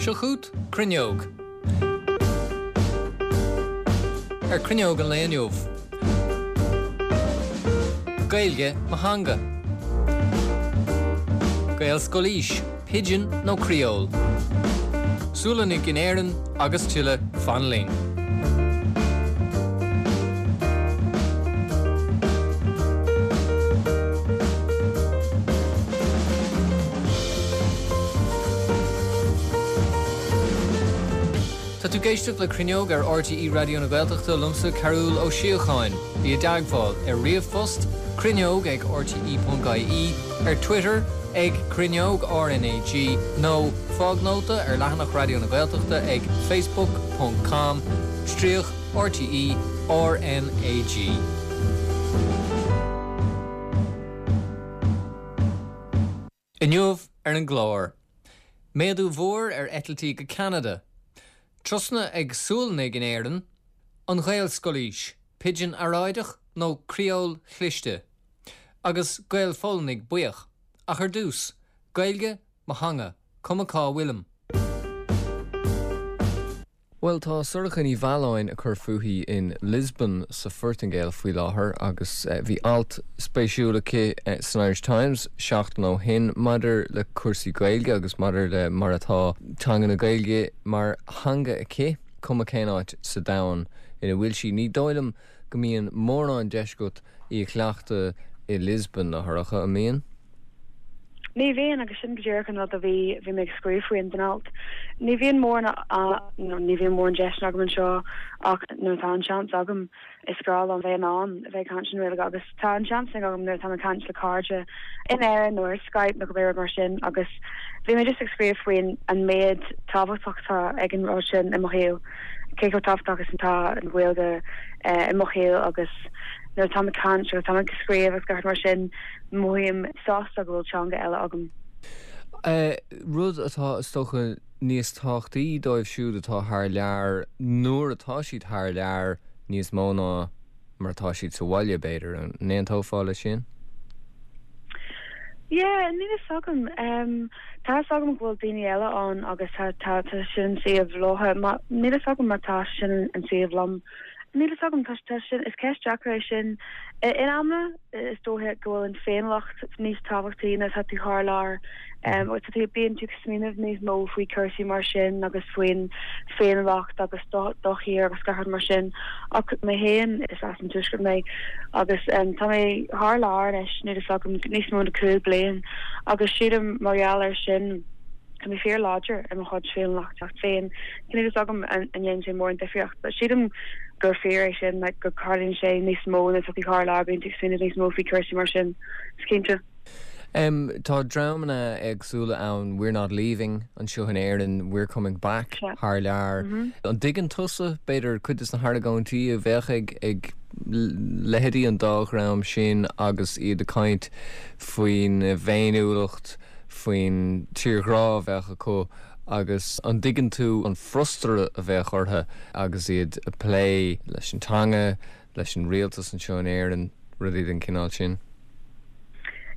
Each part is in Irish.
Seo chugat Cruinneog. Ar Cruinneog an lae inniu. Gaeilge mo theanga. Gaelscolaois, Pidgin nó Creole. Sualannaigh in Éirinn agus tuilleadh, fan linn. Tá tú ag éisteacht le Cruinneog ar RTÉ Raidió na Gaeltachta liomsa Cearbhall Ó Síocháin. Bí i dteagmháil ar ríomhphost, cruinneog ag rte.ie, ar Twitter ag Cruinneog RnaG nó fág nóta ar leathanach Raidió na Gaeltachta ag facebook ponc com stríoc RTÉ RnaG. Inniu ar an gclár. Méadú mhór ar eitiltí go Ceanada. Turasanna ag Sualannaigh in Éirinn. An Ghaelscolaois, pidgin earráideach nó criól chliste? Agus Gael-Pholannaigh buíoch. Ach ar dtús, Gaeilge, mo theanga, cuma cá bhfuilim. Bhuel, tá Sorcha Ní Mhealláin ag cur fúithi in Lisbon sa Phortaingéil faoi láthair agus bhí alt spéisiúil aici san Irish Times seachtain ó shin maidir le cúrsaí Gaeilge agus maidir le mar atá teanga na Gaeilge mar theanga aici, cuma cén áit sa domhan ina bhfuil sí. Ní dóigh liom go mbíonn mórán deis agat í a chleachtadh i Lisbon, a Shorcha, an mbíonn? Ní bhíonn, agus sin go díreach an rud a bhí bhí mé ag scríobh faoi in alt. Ní bhíonn mórán nó ní bhíonn mórán deiseanna agam anseo ach nuair atá an seans agam is grá liom bheith in ann a bheith ag caint i nGaeilge agus tá an seans sin agam nuair atá mé ag caint le cairde in Éirinn nó ar Skype nó cibé rud mar sin agus bhí mé just ag scríobh faoin an méid tábhachtach atá ag an rud sin i mo shaol, cé chomh tábhachtach is atá an Ghaeilge i mo shaol agus nuair atá mé ag caint agus tá mé ag scríobh agus gach rud mar sin. Mothaím sásta go bhfuil teanga eile agam. Rud atá, is dócha, níos tábhachtaí dóibh siúd atá thar lear nuair atá siad thar lear níos mó ná mar atá siad sa bhaile, b'fhéidir. An n-aontófá leis sin? Yeah, níl fhios agam. Tá fhios agam go bhfuil daoine eile ann agus tá tá tá sin an suíomh leo. Níl fhios agam má tá sin an suíomh liom. Níl fhios agam, tá tá sin, is ceist deacair é sin. In amanna is dóiche go bhfuil an féiniúlacht níos tábhachtaí nuair atá tú thar lear. Agus tá tú, bíonn tú ag smaoineamh níos mó faoi cúrsaí mar sin agus faoin féiniúlacht agus do do thír agus gach rud mar sin. Ach mé féin, is as an Tuaisceart mé agus tá mé thar lear anois, níl fhios agam, níos mó na 5 bliain agus sílim mar gheall air sin, Tá mé fíor láidir i mo chuid féiniúlacht féin. Níl fhios agam an ndéanann sé mórán difríocht, but sílim gur fíor é sin, like go tarlaíonn sé níos mó nuair atá tú thar lear, bíonn tú ag smaoineamh níos mó faoi cúrsaí mar sin, is cinnte. Tá dreamanna éagsúla ann, We're Not Leaving anseo in Éirinn, We're Coming Back thar lear. An dtuigeann tusa, b'fhéidir, cuid de na hargóintí a bheadh ag ag leithéidí an dá dhream sin agus iad ag caint faoina bhféiniúlacht, faoin tírghrá a bheadh acu agus an dtuigeann tú an frustrachas a bheadh orthu agus iad ag plé leis an teanga, leis an rialtas anseo in Éirinn, rudaí den chineál sin?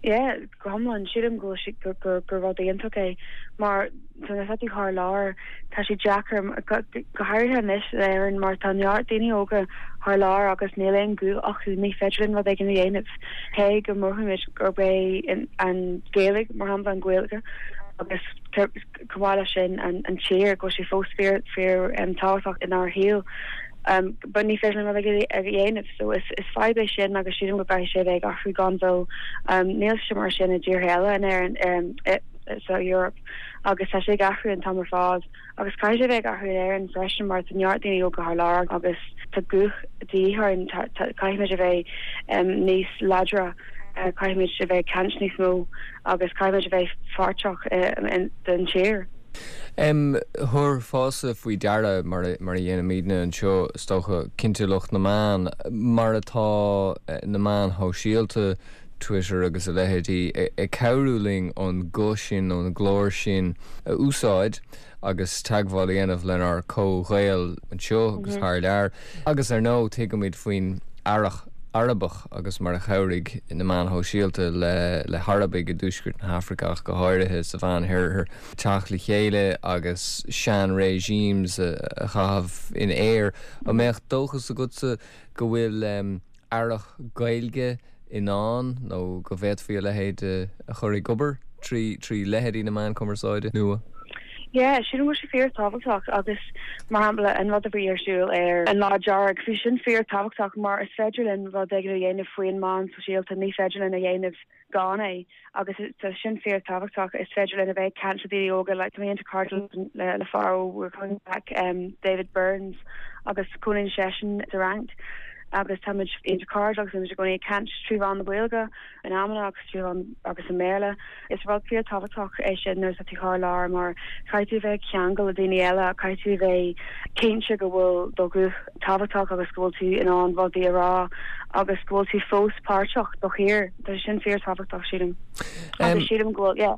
Yeah, go hiomlán. Sílim go bhfuil sé, gur, gur, gur rud iontach é mar nuair atá tú thar lear, tá sé deacair, go, go háirithe anois in Éirinn mar tá neart daoine óga thar lear agus níl aon ghuth acu, ní féidir linn rud éigin a dhéanamh. Cé go mothaímid gurb é an Ghaeilge, mar shampla, an Ghaeilge agus chomh maith leis sin an tír, go bhfuil sé fós fíor, fíor tábhachtach inár shaol. But ní féidir linn rud a dhéanamh. So is fadhb é sin agus sílim go gcaithfidh sé a bheith ag athrú gan mhoill. Níl sé mar sin i dtíortha eile in Éirinn, sa Eoraip agus tá sé ag athrú an t-am ar fad. Agus caithfidh sé a bheith ag athrú in Éirinn freisin mar tá neart daoine óga thar lear agus tá guth de dhíth orainn, caithfimid a bheith níos láidre, caithfimid a bheith ag caint níos mó agus caithfimid a bheith pháirteach den tír. Thabharfása faoi deara, mar a dhéanaimidne anseo is dócha, cinnte lucht na meán, mar atá na meáin shóisialta, Twitter agus a leithéidí, ag cabhrú linn an guth sin nó an glór sin a úsáid agus teagmháil a dhéanamh lenár comh-Ghaeil anseo agus thar lear. Agus ar ndóigh tuigimid faoin earrach. Arabach agus mar a chabhraigh na meáin shóisialta le le hArabaigh i dtuaisceart na hAfraice ach go háirithe sa Mheán-Oirthear teacht le chéile agus sean-regimes a chaitheamh in aer. An mbeadh dóchas agatsa go bhfuil earrach Gaeilge i ndán nó go bhféadfaí a leithéid a chur ag obair trí leithéidí na meán cumarsáide nua? Yeah, sílim go bhfuil sé fíor-tábhachtach agus, mar shampla, an rud a bhí ar siúl ar an Lá Dearg, bhí sin fíor-tábhachtach mar is féidir linn rud éigin a dhéanamh faoin meán sóisialta, ní féidir linn a dhéanamh gan é agus tá sin fíor-tábhachtach. Is féidir linn a bheith ag caint le daoine óga, like tá mé iontach cairdiúil le le fear ó We're Coming Back, David Burns, agus cónaíonn seisean sa Fhrainc agus táimid iontach cairdiúil agus táimid i gcónaí ag caint trí mheán na Gaeilge in amanna agus trí mheán agus i mBéarla. Is rud fíor-tábhachtach é sin nuair atá tú thar lear mar caithfidh tú a bheith ag ceangal le daoine eile, caithfidh tú a bheith cinnte go bhfuil do ghuth tábhachtach agus go bhfuil tú in ann rudaí a rá agus go bhfuil tú fós páirteach do thír. Tá sé sin fíor-tábhachtach, sílim. Agus sílim go bhfuil, yeah.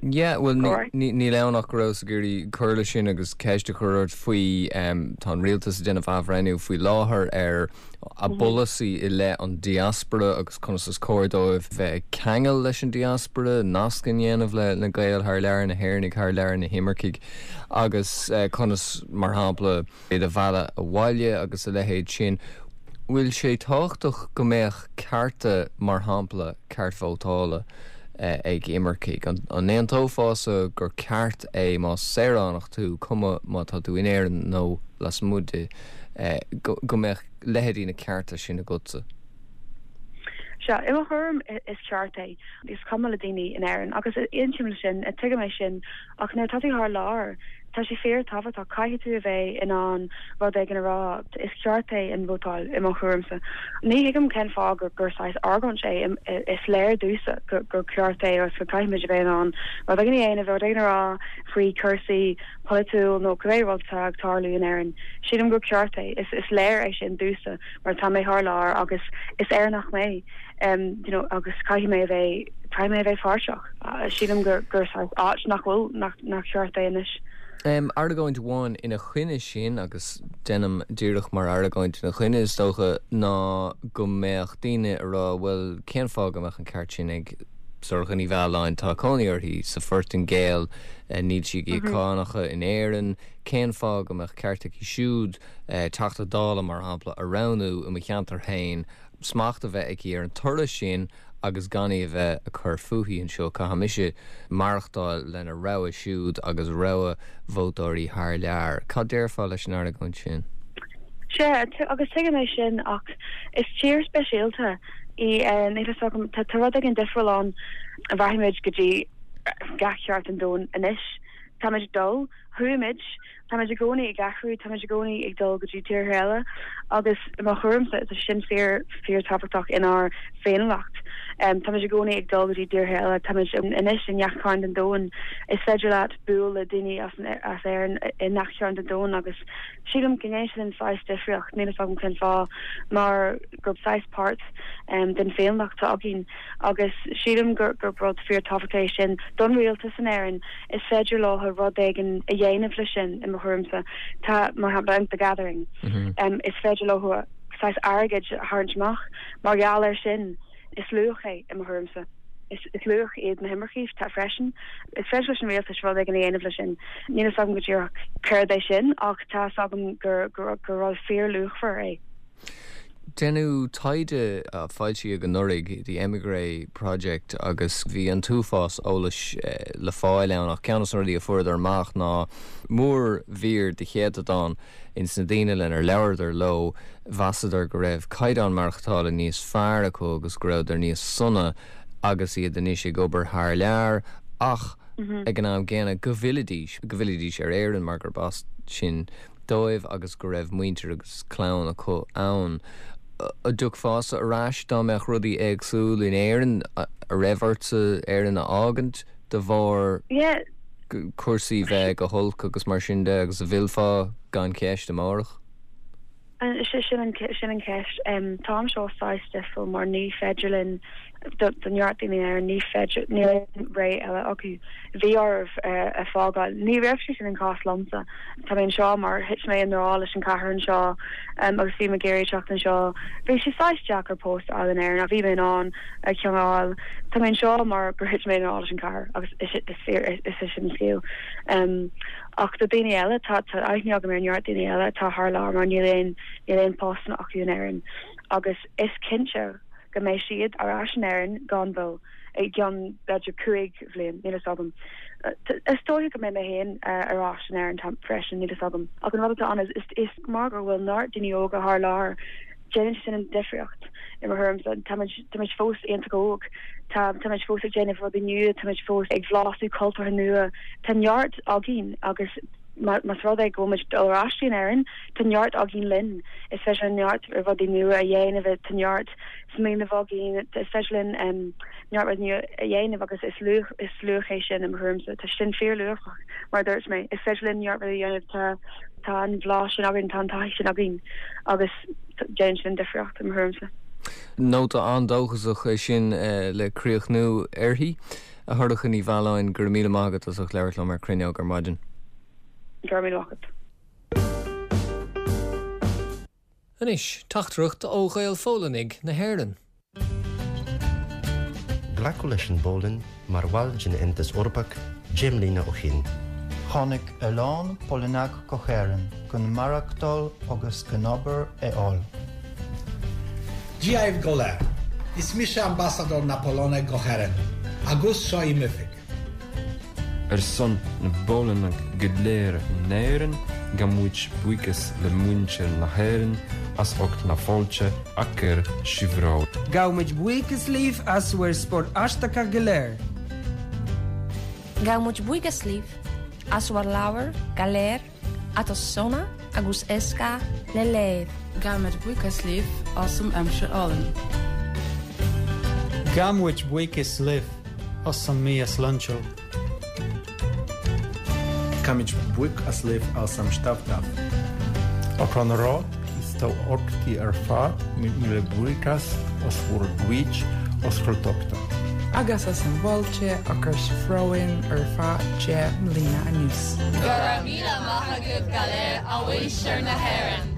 Yeah, bhuel, níl ann ach go rabhas ag iarraidh cur leis sin agus ceist a chur ort faoi, tá an rialtas ag déanamh athbhreithniú faoi láthair ar a bpolasaí i leith an diaspora agus conas is cóir dóibh bheith ag ceangal leis an diaspora, nasc a dhéanamh le na Gaeil thar lear, na hÉireannaigh thar lear, na himircigh agus conas, mar shampla, iad a mhealladh abhaile agus a leithéid sin. Bhfuil sé tábhachtach go mbeadh cearta, mar shampla, ceart vótála ag imircigh? An n-aontófása gur ceart é más saoránach tú, cuma má tá tú in Éirinn nó lasmuigh di, go mbeadh leithéidí na cearta sin agatsa? Sea, i mo thuairim is ceart é. Is cuma le daoine in Éirinn agus aontaím leis sin, tuigim é sin, ach nuair atá tú thar lear, tá sé fíor-tábhachtach, caithfidh tú a bheith in ann rud éigin a rá. Is ceart é an vótáil, i mo thuairimse. Ní thuigim cén fáth gur gur saghas argóint é, is léir domhsa gur ceart é agus go caithfimid a bheith in ann rud éigin a dhéanamh, rud éigin a rá faoi chúrsaí polaitiúil nó cibé rud atá ag tarlú in Éirinn. Sílim gur ceart é. Is léir é sin domhsa mar tá mé thar lear agus is Éireannach mé you know agus caithfidh mé a bheith, caithfidh mé a bheith páirteach. Sílim gur gur saghas áit nach bhfuil, nach nach ceart é anois. Argóint amháin ina choinne sin, agus déanaim díreach mar argóint ina choinne is dócha, ná go mbeadh daoine ag rá bhuel cén fáth go mbeadh an ceart sin ag Sorcha Ní Mhealláin, tá cónaí uirthi sa Phortaingéil, níl sí ag íoc cánacha in Éirinn, cén fáth go mbeadh ceart aici siúd Teachta Dála, mar shampla, a roghnú i mo cheantar féin, smacht a bheith aici ar an toradh sin agus gan í a bheith ag cur fúithi anseo. Caithfidh mise maireachtáil lena rogha siúd agus rogha vótóirí thar lear. Cad déarfá leis an argóint sin? Sea, agus tuigim é sin ach is tír speisialta í, níl fhios agam, tá rud éigin difriúil ann, rachaimid go dtí gach cearn den domhan anois, táimid ag dul, chuaigh muid, táimid i gcónaí ag athrú, táimid i gcónaí ag dul go dtí tíortha eile agus i mo thuairimse tá sin fíor, fíor tábhachtach inár bhféiniúlacht. Táimid i gcónaí ag dul go dtí tíortha eile, táimid anois i ngach cearn den domhan, is féidir leat bualadh le daoine as, as Éirinn i ngach cearn den domhan agus sílim go ndéanann sé sin saghas difríocht, níl fhios agam cén fáth, mar gur saghas páirt den bhféiniúlacht atá againn. Agus sílim gur rud fíor-tábhachtach é sin don rialtas in Éirinn. Is féidir leo rud éigin a dhéanamh leis sin, i mo thuairimse. Tá, mar shampla, an The Gathering. Is féidir leo saghas airgid a tharraingt amach mar gheall air sin. Is luach é, i mo thuairimse. Is luach iad na himircigh freisin. Is féidir leis an rialtas rud éigin a dhéanamh leis sin. Níl fhios agam go díreach céard é sin ach tá fhios agam gur rud fíor-luachmhar é. Deineadh taighde a foilsíodh anuraidh, The Emigré Project, agus bhí an t-uafás eolais le fáil ann ach ceann de na rudaí a fuaireadar amach ná mórmhír de chéatadán ins na daoine lenar labhradar leo, mheasadar go raibh caighdeán maireachtála níos fearr acu agus go rabhadar níos sona agus iad anois ag obair thar lear ach ag an am gcéanna go bhfillidís, go bhfillidís ar Éirinn mar gurb as sin dóibh agus go raibh muintir agus clann acu ann. An dtiocfása ar ais dá mbeadh rudaí éagsúil in Éirinn? An raibh ortsa Éirinn a fhágaint de bharr cúrsaí bheith go holc agus mar sin de agus an bhfillfeá gan cheist amárach? Sin an ceist. Tá anseo saghas difriúil mar ní féidir linn. Do neart daoine in Éirinn ní féidir, níl aon rogha eile acu. Bhí orthu é fágáil. Ní raibh sé sin an cás liomsa. Tá mé anseo mar thit mé i ngrá leis an chathair anseo agus bhí mé ag iarraidh teacht anseo. Bhí sé saghas deacair post a fháil in Éirinn ach bhí mé in ann ceann a fháil. Tá mé anseo mar gur thit mé i ngrá leis an chathair agus is is é sin an scéal. Ach do daoine eile, tá aithne agam ar neart daoine eile atá thar lear mar níl aon níl aon postanna acu in Éirinn agus is cinnte go mbeidh siad ar ais in Éirinn gan mhoill, i gceann b'fhéidir 5 bhliain, níl fhios agam. Is dóiche go mbeidh mé féin ar ais in Éirinn freisin, níl fhios agam. Ach an rud atá ann is is mar go bhfuil neart daoine óga thar lear, déanann sé sin an difríocht i mo thuairimse. Táimid táimid fós iontach óg, tá táimid fós ag déanamh rudaí nua, táimid fós ag blasú cultúrtha nua, tá neart againn agus más rud é go bhfuil muid ag dul ar ais in Éirinn, tá neart againn linn. Is féidir linn neart rudaí nua a dhéanamh, tá neart smaoineamh againn, is féidir linn neart rudaí nua a dhéanamh agus is luach, is luach é sin i mo thuairimse. Tá sin fíorluachmhar, mar a dúirt mé. Is féidir linn neart rudaí a dhéanamh, tá tá an bhlas sin againn, tá an taithí sin againn agus déanann sin an difríocht i mo thuairimse. Nóta an-dóchasach é sin le críochnú uirthi. A Shorcha Ní Mhealláin, go raibh míle maith agat as ucht labhairt liom ar Cruinneog ar maidin. Go raibh míle maith agat. Anois, teachtaireacht ó Ghael-Pholannaigh na hÉireann. Glacadh leis an bPolainn mar bhall den Aontas Eorpach 10 mbliana ó shin. Tháinig a lán Polannach go hÉirinn chun maireachtáil agus chun obair a fháil. Dia dhaoibh go léir. Is mise Ambasadóir na Polainne go hÉirinn, agus seo í m'oifig. Ar son na bPolannach go léir in Éirinn, gabhaimid buíochas le muintir na hÉireann as ucht na fáilte a chuir sibh romhainn. Gabhaimid buíochas libh as bhur spórt aisteacha go léir. Gabhaimid buíochas libh as bhur leabhair go léir atá sona agus éasca le léamh. Gabhaimid buíochas libh as an aimsir álainn. Gabhaimid buíochas libh as an mbia sláintiúil. Gabhaimid buíochas libh as an stuif dubh. Ochón romhat is do orchtaí ar fad míle buíochas as bhur gcuid oscailteachta. Agus as an bhfáilte a chuir sibh romhainn ar feadh 10 mbliana anuas. Go raibh míle maith agaibh go léir a mhuintir na hÉireann!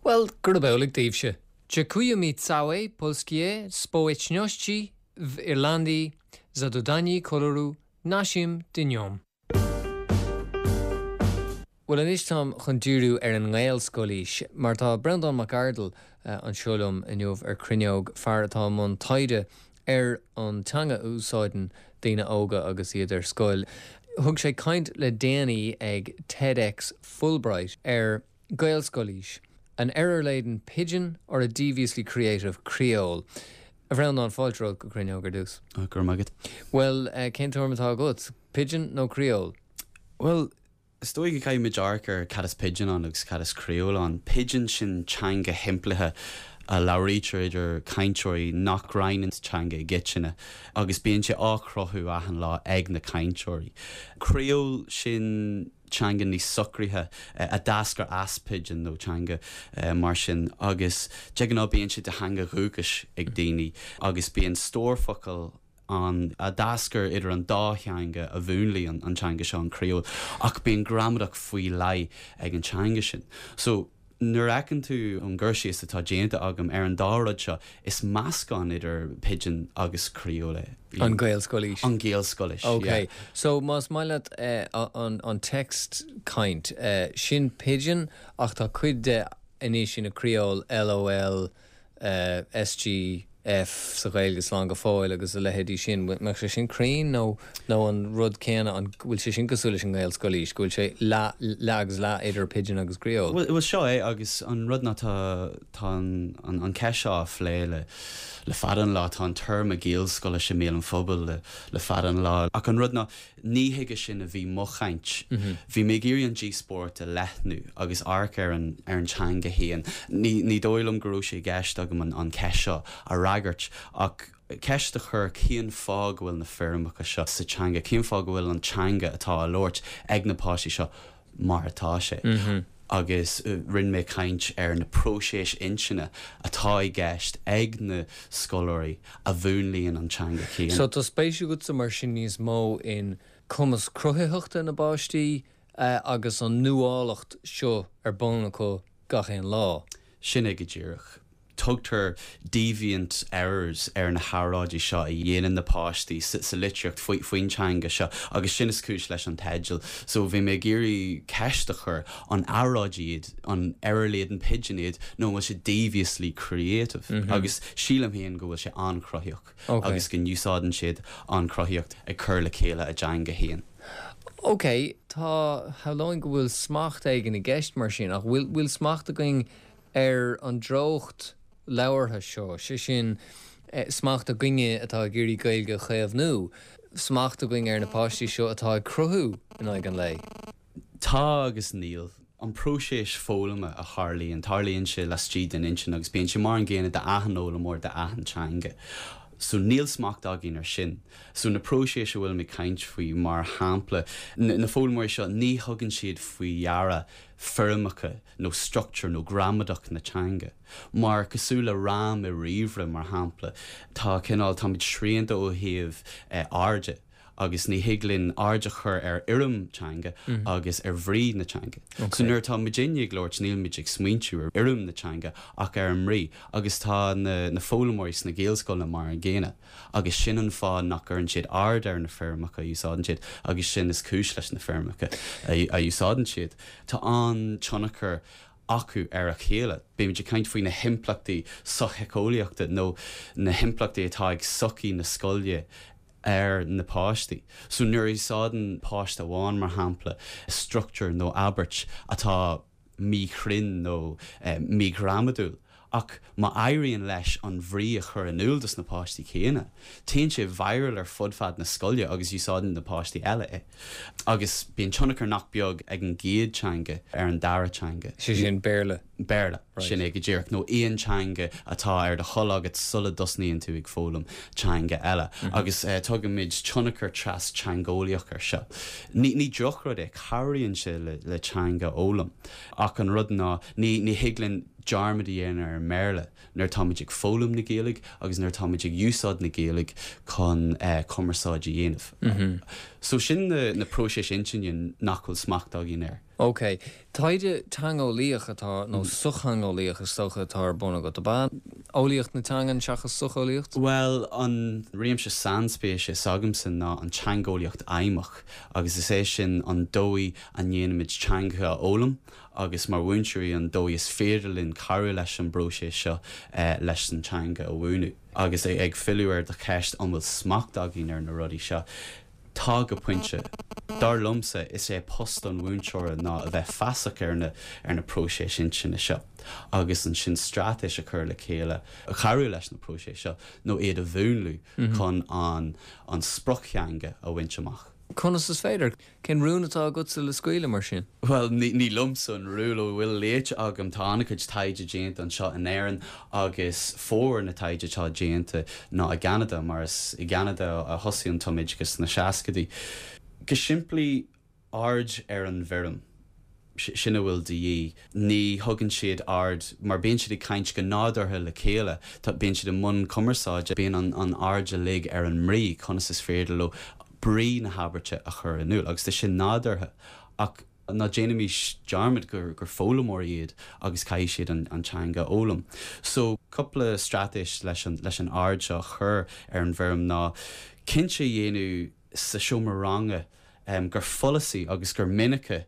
Bhuel, gurab amhlaidh daoibhse. Dziękujemy całej polskiej społeczności w Irlandii za dodanie koloru naszym dniom. Bhuel anois táim chun díriú ar an nGaelscolaois, mar tá Breandán Mac Ardail anseo liom inniu ar Cruinneog, fear atá i mbun taighde ar an teanga a úsáideann daoine óga agus iad ar scoil. Thug sé caint le déanaí ag TEDx Fulbright ar Gaelscolaois, An error-laden pidgin or a deviously creative creole? A Bhreandáin, fáilte romhat go Cruinneog ar dtús. Go raibh maith agat. Bhuel, cén tuairim atá agat? Pidgin nó creole? Bhuel, is dóigh go gcaithfidh muid amharc ar cad is pidgin ann agus cad is creole ann. Pidgin sin teanga shimplithe a labhraítear idir cainteoirí nach roinneann teanga i gcoitinne agus bíonn sé á chruthú achan lá ag na cainteoirí. Creole sin teanga níos socraithe a d'eascair as pidgin nó teanga mar sin agus de ghnáth bíonn sé de theanga dhúchais ag daoine agus bíonn stór focal ann a d'eascair idir an dá theanga a mhúnlaigh an teanga seo, an creole, ach bíonn gramadach faoi leith ag an teanga sin. So, nuair a fheiceann tú an gcur síos atá déanta agam ar an dá rud seo, is meascán idir pidgin agus creole é. An Ghaelscolaois. An Ghaelscolaois, yeah. Ok. So, más maith leat an text caint, sin pidgin ach tá cuid de anois ina creole, LOL, SG. F sa Ghaeilge slán go fóill agus a leithéidí sin. Mbeadh sé sin cruinn nó nó an rud céanna, an bhfuil sé sin cosúil leis an nGaelscolaois, go bhfuil sé leath, leath agus leath idir pidgin agus criól? Bhuel, seo é agus an rud ná tá, tá an, an cheist seo á phlé le, le fada an lá, tá an téarma Gaelscolaois i mbéal an phobail le, le fada an lá ach an rud ná Ní chuige sin a bhí mo chaint. Bhí mé ag iarraidh an díospóireacht a leathnú agus amharc ar an ar an teanga féin. Ní ní dóigh liom go raibh sé i gceist agam an an cheist seo a fhreagairt ach ceist a chur cén fáth go bhfuil na foirmeacha seo sa teanga, cén fáth go bhfuil an teanga atá á labhairt ag na páistí seo mar atá sé. Agus rinne mé caint ar na próiséis intinne atá i gceist ag na scoláirí a mhúnlaíonn an teanga chéanna. So tá spéis agatsa mar sin níos mó in cumas cruthaitheachta na bpáistí agus an nuálacht seo ar bun acu gach aon lá. Sin é go díreach. Tugtar deviant errors ar na hearráidí seo a dhéanann na páistí sa litríocht faoin teanga seo agus sin is cúis leis an teideal. So bhí mé ag iarraidh ceist a chur, an earráidí iad, an error-laden pidgin iad nó an bhfuil sé deviously creative? Agus sílim féin go bhfuil sé an-chruthaitheach agus go n-úsáideann siad an chruthaíocht ag cur le chéile a dteanga féin. Ok, tá, shamhlóinn go bhfuil smacht éigin i gceist mar sin, ach bhfuil, bhfuil smacht againn ar an dtreocht labhartha seo, sé sin, smacht againne atá ag iarraidh Gaeilge a chaomhnú, smacht againn ar na páistí seo atá ag cruthú in aghaidh an lae. Tá agus níl. An próiseas foghlama a tharlaíonn, tarlaíonn sé laistigh den intinn agus bíonn sé mar an gcéanna d'achan fhoghlaimeoir d'achan teanga. So níl smacht againn ar sin. So na próiséis a bhfuilim ag caint faoi, mar shampla, na foghlaimeoirí seo, ní thugann siad faoi deara foirmeacha nó struchtúr nó gramadach na teanga. Mar, cosúil le RAM i ríomhaire, mar shampla, tá cineál, táimid srianta ó thaobh airde agus ní thig linn aird a chur ar fhoirm teanga agus ar bhrí na teanga. So nuair atá muidinne ag labhairt nílimid ag smaointiú ar fhoirm na teanga ach ar an mbrí agus tá na na foghlaimeoirí sna Gaelscoileanna mar an gcéanna. Agus sin an fáth nach gcuireann siad aird ar na foirmeacha a úsáideann siad agus sin is cúis leis na foirmeacha a úsáideann siad. Tá an-tionchar acu ar a chéile. Bímid ag caint faoi na himpleachtaí sochshíceolaíochta nó na himpleachtaí atá ag sochaí na scoile ar na páistí. So nuair a úsáideann páiste amháin, mar shampla, struchtúr nó abairt atá míchruinn nó míghramadúil, ach má éiríonn leis an bhrí a chur in iúl dos na páistí céanna, téann sé viral ar fud fad na scoile agus úsáideann na páistí eile é. Agus bíonn tionchar nach beag ag an gcéad teanga ar an dara teanga. Sé sin Béarla. Béarla, sin é go díreach, nó aon teanga atá ar do thoil agat sula dtosnaíonn tú ag foghlaim teanga eile. Agus tugaimid tionchar tras-teangeolaíoch air seo. Ní ní drochrud é, cabhraíonn sé le le teanga a fhoghlaim. Ach an rud ná, ní ní thig linn dearmad a dhéanamh ar an mBéarla nuair atáimid ag foghlaim na Gaeilge agus nuair atáimid ag úsáid na Gaeilge chun cumarsáid a dhéanamh. So sin na na próiséis intinne nach bhfuil smacht againn air. Ok. Taighde teangeolaíoch atá, nó sochtheangeolaíoch is dócha atá ar bun agat, ab ea? Eolaíocht na teangan seachas socheolaíocht? Bhuel, an réimse sainspéise s'agamsa ná an teangeolaíocht fheidhmeach, agus is é sin an dóigh a ndéanaimid teangacha a fhoghlaim agus mar mhúinteoirí an dóigh is féidir linn cabhrú leis an bpróiseas seo leis an teanga a mhúineadh. Agus ag filleadh ar do cheist an bhfuil smacht againn ar na rudaí seo, Tá, go pointe. Dar liomsa, is é post an mhúinteora ná a bheith feasach ar na ar na próiséis intinne seo agus ansin straitéis a chur le chéile a chabhrú leis na próiséis seo nó iad a mhúnlú chun an an sprioctheanga a bhaint amach. Conas is féidir? Cén rún atá agatsa le scaoileadh, mar sin? Bhuel, ní liomsa an rún, ó a bhfuil léite agam, tá an-chuid taighde déanta anseo in Éirinn agus formhór na taighde atá déanta ná i gCeanada, mar is i gCeanada a thosaigh an tumoideachas sna seascaidí. Go simplí, aird ar an bhfoirm. Sin a bhfuil de dhíth. Ní thugann siad aird, mar bíonn siad ag caint go nádúrtha le chéile, bíonn siad i mbun cumarsáide, bíonn an aird uilig ar an mbrí, conas is féidir leo brí na habairte a chur in iúl, agus tá sin nádúrtha. Ach ná déanaimis dearmad gur foghlaimeoirí iad agus caithfidh siad an teanga a fhoghlaim. So, cúpla straitéis leis an leis an aird seo a chur ar an bhfoirm ná cinnte a dhéanamh sa seomra ranga gur follasaí agus gur minice.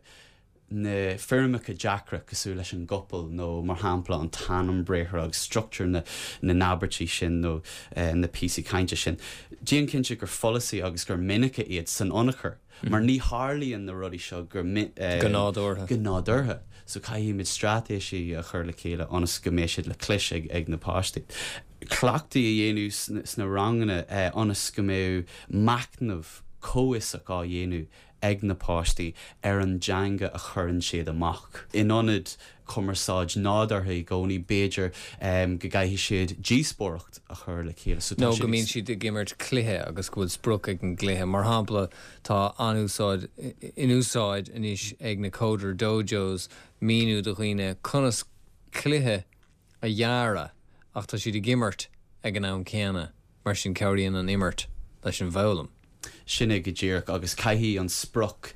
Na foirmeacha deacra cosúil leis an gcopail nó mar shampla an t-ainm briathartha agus struchtúr na n-abairtí sin nó na píosaí cainte sin. Déan cinnte gur follasaí agus gur minice iad san ionchur mar ní tharlaíonn na rudaí seo go Go nádúrtha. Go nádúrtha. So caithfimid straitéisí a chur le chéile ionas go mbeidh siad le clos ag na páistí. Cleachtaí a dhéanamh sna ranganna ionas go mbeidh machnamh comhfhiosach á dhéanamh ag na páistí ar an dteanga a chuireann siad amach. In ionad cumarsáid nádúrtha i gcónaí, b'fhéidir go gcaithfidh siad díospóireacht a chur le chéile. So tá Nó go mbíonn siad ag imirt cluiche agus go bhfuil sprioc ag an gcluiche. Mar shampla, tá an-úsáid in úsáid anois ag na Coder Dojos míniú do dhaoine conas cluiche a dhearadh ach tá siad ag imirt ag an am céanna, mar sin cabhraíonn an imirt leis an bhfoghlaim. Sin é go díreach, agus caithfidh an sprioc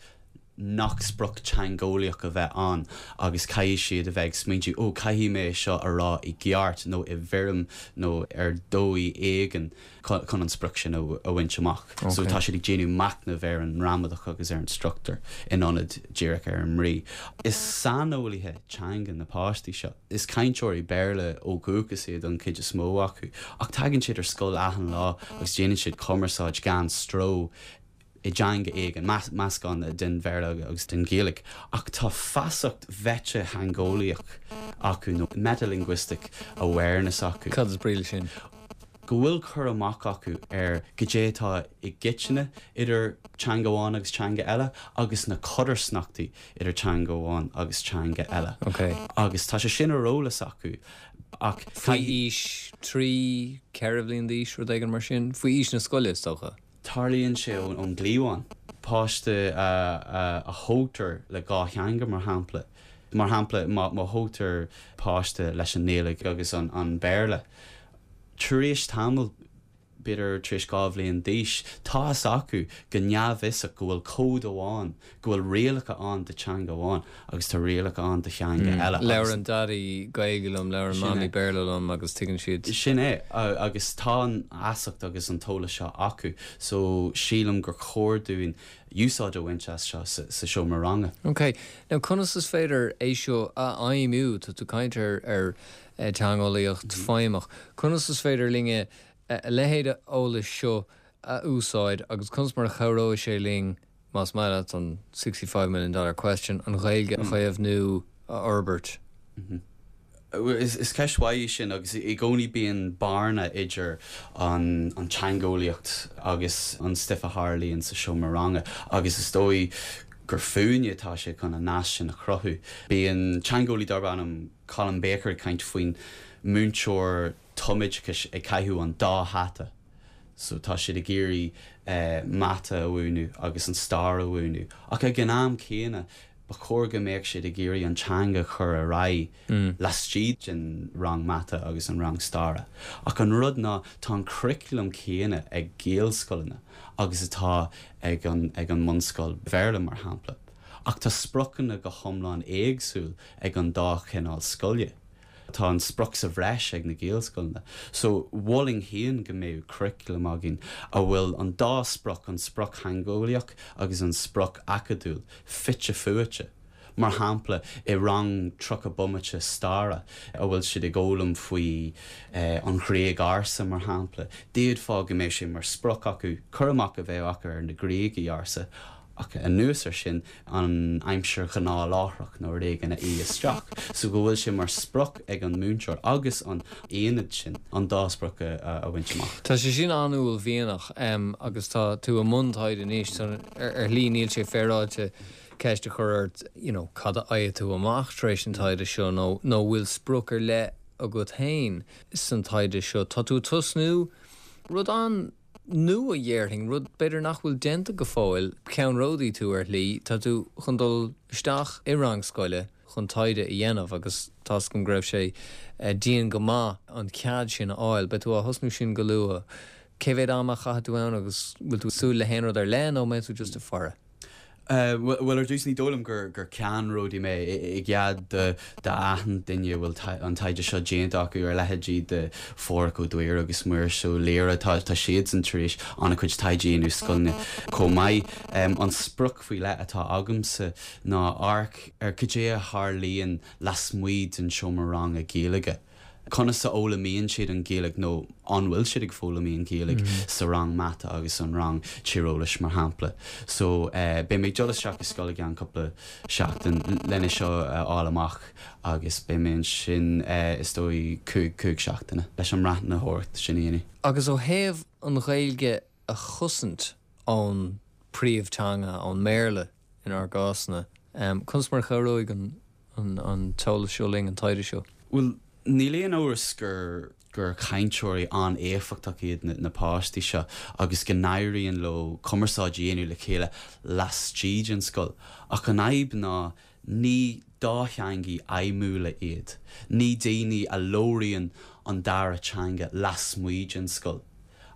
nach sprioc teangeolaíoch a bheith ann agus caithfidh siad a bheith ag smaointiú 'ó, caithfidh mé é seo a rá i gceart nó i bhfoirm nó ar dóigh éigin chun an sprioc sin a bhaint amach. So tá siad ag déanamh machnaimh ar an ngramadach agus ar an struchtúr in ionad díreach ar an mbrí. Is saineolaithe teanga na páistí seo. Is cainteoirí Béarla ó dhúchas iad an chuid is mó acu, ach tagann siad ar scoil achan lá agus déanann siad cumarsáid gan stró i dteanga éigin, meascán den Bhéarla agus den Ghaeilge. Ach tá feasacht mheititheangeolaíoch acu, nó metalinguistic awareness acu. Cad is brí leis sin? Go bhfuil cur amach acu ar goidé atá i gcoitinne idir teanga amháin agus teanga eile agus na codarsnachtaí idir teanga amháin agus teanga eile. Agus tá sé sin ar eolas acu ach. Faoi aois 3, 4 bhliain d'aois, rud éigin mar sin? Faoi aois na scoile, is dócha? Tarlaíonn sé ón gcliabhán. Páiste a thógtar le dhá theanga, mar shampla. Mar shampla, má thógtar páiste leis an nGaeilge agus an Béarla, tar éis tamaill, b'fhéidir tar éis 2 bhliain d'aois, tá fhios acu go neamhfhiosach go bhfuil cód amháin, go bhfuil rialacha ann do teanga amháin agus tá rialacha ann do theanga eile. Labhrann Daidí Gaeilge liom, labhrann Mamaí Béarla liom agus tuigeann siad. Sin é, agus tá an fheasacht agus an t-eolas seo acu so sílim gur chóir dúinn úsáid a bhaint as seo sa seomra ranga. Ok, now conas is féidir é seo a fheidhmiú? Tá tú ag caint ar teangeolaíocht feidhmeach. Conas is féidir linne a leithéid eolais seo a úsáid agus conas mar a chabhróidh sé linn, más maith leat, an $65 million dollar question, an Ghaeilge a chaomhnú, a fhorbairt? Is ceist mhaith í sin agus i gcónaí bíonn bearna idir an teangeolaíocht agus an stuif a tharlaíonn sa seomra ranga agus is dóigh gur fúinne atá sé chun an nasc sin a chruthú. Bíonn teangeolaí darb ainm Colin Baker ag caint faoin múinteoir tumoideachais ag caitheamh an dá hata so tá siad ag iarraidh mata a mhúineadh agus an stair a mhúineadh ach ag an am céanna ba chóir go mbeadh siad ag iarraidh an teanga a chur ar aghaidh laistigh den rang mata agus an rang staire. Ach an rud ná tá an curriculum céanna ag Gaelscoileanna agus atá ag an ag an mbunscoil Bhéarla mar shampla. Ach tá spriocanna go hiomlán éagsúil ag an dá chineál scoile. Tá an sprioc sa bhreis ag na Gaelscoileanna. So, mholfainn féin go mbeadh curriculum againn a bhfuil an dá sprioc, an sprioc theangeolaíoch agus an sprioc acadúil, fite fuaite. Mar shampla, i rang 30 bomaite staire a bhfuil siad ag fhoghlaim faoi an Ghréig ársa, mar shampla, d'fhéadfá go mbeadh sé mar sprioc acu cur amach a bheith acu ar na Gréagaigh ársa, Ach anuas air sin, an aimsir ghnáthláithreach nó rud éigin a fhí isteach, so go bhfuil sé mar sprioc ag an múinteoir agus an aonad sin an dá sprioc a bhaint amach. Tá sé sin an-uaillmhianach agus tá tú i mbun taighde anois, so ar shlí níl sé féaráilte ceist a chur ort you know cad a fhaigheann tú amach tar éis an taighde seo nó nó bhfuil sprioc ar leith agat féin san taighde seo. Tá tú ag tosnú rud an. nua, dhéarfainn, rud b'fhéidir nach bhfuil déanta go fóill, ceannródaí tú ar shlí, tá tú chun dul isteach i rang scoile chun taighde a dhéanamh agus tá's agam go raibh sé dian go maith an cead sin a fháil. Beidh tú á thosnú sin go luath. Cé mhéad ama a chaithfidh tú ann agus bhfuil tú ag súil le haon rud ar leith nó mbeidh tú just ag faire? Bhuel, ar dtús, ní dóigh liom gur ceannródaí mé i gcead d'achan duine a bhfuil an taighde seo déanta acu, ar leithéidí de Phádhraic Ó Duibhir agus Muiris Ó Laoire, tá siadsan tar éis an-chuid taighde a dhéanamh i scoileanna chomh maith. An sprioc faoi leith atá agamsa ná amharc ar cad é a tharlaíonn lasmuigh den seomra ranga Gaeilge. Conas a fhoghlaimíonn siad an Ghaeilge nó an bhfuil siad ag foghlaim an Ghaeilge sa rang mata agus an rang tíreolais mar shampla. So beidh mé ag dul isteach i scoil i gceann cúpla seachtain lena seo a fháil amach agus beidh mé ansin is dóigh 5 seachtaine leis an mbreathnaitheoireacht sin a dhéanamh. Agus ó thaobh an Ghaeilge a chosaint ón príomhteanga, ón mBéarla inár gcásanna, conas mar a chabhróidh an an t-eolas seo linn, an taighde seo? Bhuel, níl aon amhras gur gur cainteoirí an-éifeachtach iad na páistí seo agus go n-éiríonn leo cumarsáid a dhéanamh le chéile laistigh den scoil. Ach an fhadhb ná ní dátheangaigh fheidhmiúla iad. Ní daoine a labhraíonn an dara teanga lasmuigh den scoil.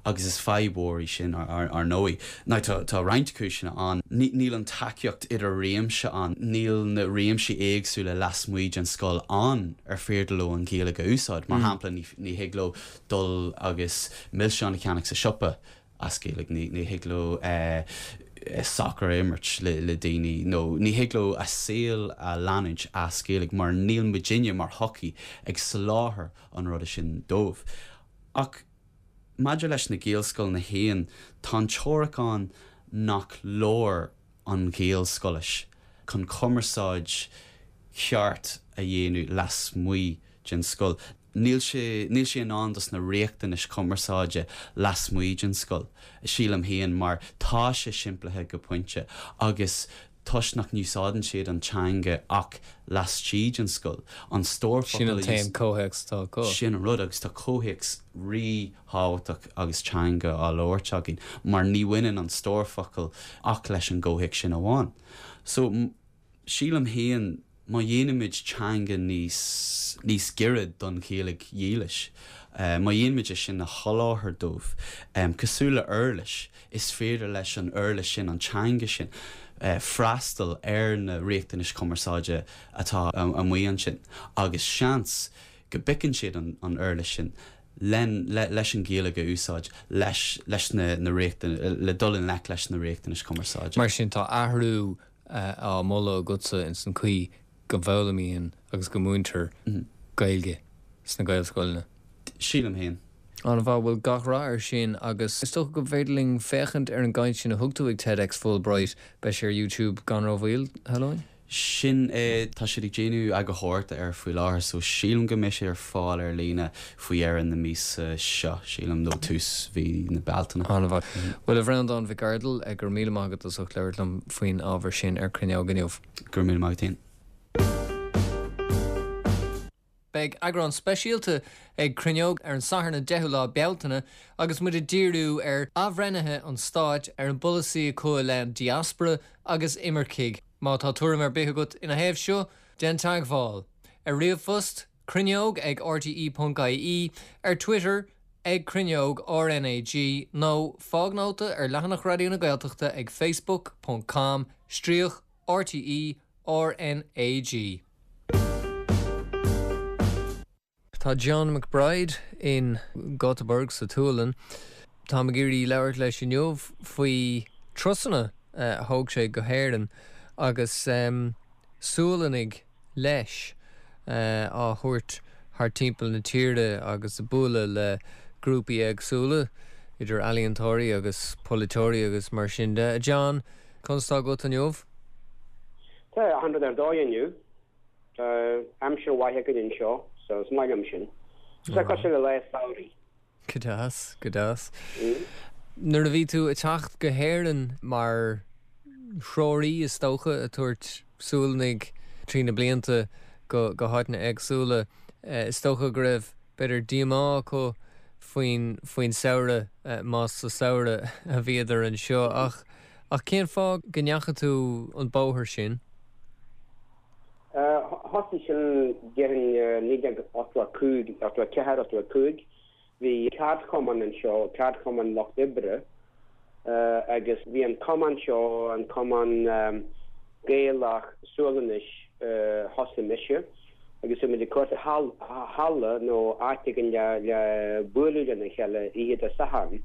Agus is fadhb mhór í sin, ar ndóigh. Now, tá roinnt cúiseanna ann. Níl an tacaíocht idir-réimse ann. Níl na réimsí éagsúla lasmuigh den scoil ann ar féidir leo an Ghaeilge a úsáid. Mar shampla, ní thig leo dul agus milseáin a cheannach sa siopa as Gaeilge. Ní thig leo sacar a imirt le daoine nó ní thig leo a saol a leanúint as Gaeilge mar níl muidinne mar shochaí ag soláthar an ruda sin dóibh. Ach. Maidir leis na Gaelscoileanna féin, tá an teoiric ann nach leor an Ghaelscoilis chun cumarsáid cheart a dhéanamh lasmuigh den scoil. Níl sé, níl sé in ann dos na riachtanais chumarsáide lasmuigh den scoil, sílim féin, mar tá sé simplithe go pointe agus toisc nach n-úsáideann siad an teanga ach laistigh den scoil, an stór focal a. Sin an t-aon comhthéacs atá acu. Sin an rud, agus tá comhthéacs ríthábhachtach agus teanga á labhairt againn, mar ní bhaineann an stór focal ach leis an gcomhthéacs sin amháin. So, sílim féin, má dhéanaimid teanga níos, níos giorra don Ghaeilge dhílis, má dhéanaimid é sin a sholáthar dóibh, cosúil le uirlis, is féidir leis an uirlis sin, an teanga sin, freastal ar na riachtanais chumarsáide atá amuigh ansin agus seans go bpiocann siad an uirlis sin len, leis an Ghaeilge a úsáid leis, leis na, na riachtanais, le dul i ngleic leis na riachtanais chumarsáide. Mar sin tá athrú á mholadh agatsa ins an chaoi go bhfoghlaimíonn agus go múintear Gaeilge sna Gaelscoileanna. Sílim féin. An-mhaith, bhuel gach rath air sin agus is dócha go bhféidir linn féachaint ar an gcaint sin a thug tú ag TEDx Fulbright, beidh sé ar YouTube gan rómhoill, shamhlóinn? Sin é, tá siad ag déanamh eagarthóireachta air faoi láthair so sílim go mbeidh sé ar fáil ar líne faoi dheireadh na míosa seo, sílim, nó tús mhí na Bealtaine. An-mhaith. Bhuel a Bhreandáin Mhic Ardail, go raibh míle maith agat as ucht labhairt liom faoin ábhar sin ar Cruinneog inniu. Go raibh míle maith agat féin. Beidh eagrán speisialta ag Cruinneog ar an Satharn an 10ú lá Bealtaine agus muid ag díriú ar athbhreithnithe an stáit ar an bpolasaí acu i leith an diaspora agus imircigh. Má tá tuairim ar bith agat ina thaobh seo, déan teagmháil. Ar ríomhphost, cruinneog ag rte.ie, ar Twitter, ag Cruinneog RnaG nó fág nóta ar leathanach Raidió na Gaeltachta ag facebook ponc com stríoc RTÉ RnaG. Tá John McBride in Göteborg sa tSualainn. Táim ag iarraidh labhairt leis inniu faoi turasanna a thóg sé go hÉirinn agus Sualannaigh leis á thabhairt thar timpeall na tíre agus ag bualadh le grúpaí éagsúla, idir ealaíontóirí agus polaiteoirí agus mar sin de. A John, conas tá agat inniu? Tá achan rud ar dóigh inniu. Tá aimsir mhaith againn anseo so is maith liom sin. Tá sé cosúil le lá samhraidh. Go deas, go deas. Nuair a bhí tú ag teacht go hÉirinn mar threoraí is dócha, ag tabhairt Sualannaigh trí na blianta go go háiteanna éagsúla, is dócha go raibh b'fhéidir díomá acu faoin faoin samhradh, más sa samhradh a bhíodar anseo. Ach ach cén fáth go ndeachaigh tú an bóthar sin? Thosaigh sin déarfainn 1985, 84, 85. Bhí ceardchumann anseo, ceardchumann lucht oibre. Agus bhí an cumann seo, an cumann Gaelach Sualainnis, thosaigh mise agus bhí muid ag cuartú halla nó áit éigin le bualadh lena chéile oíche Dé Sathairn.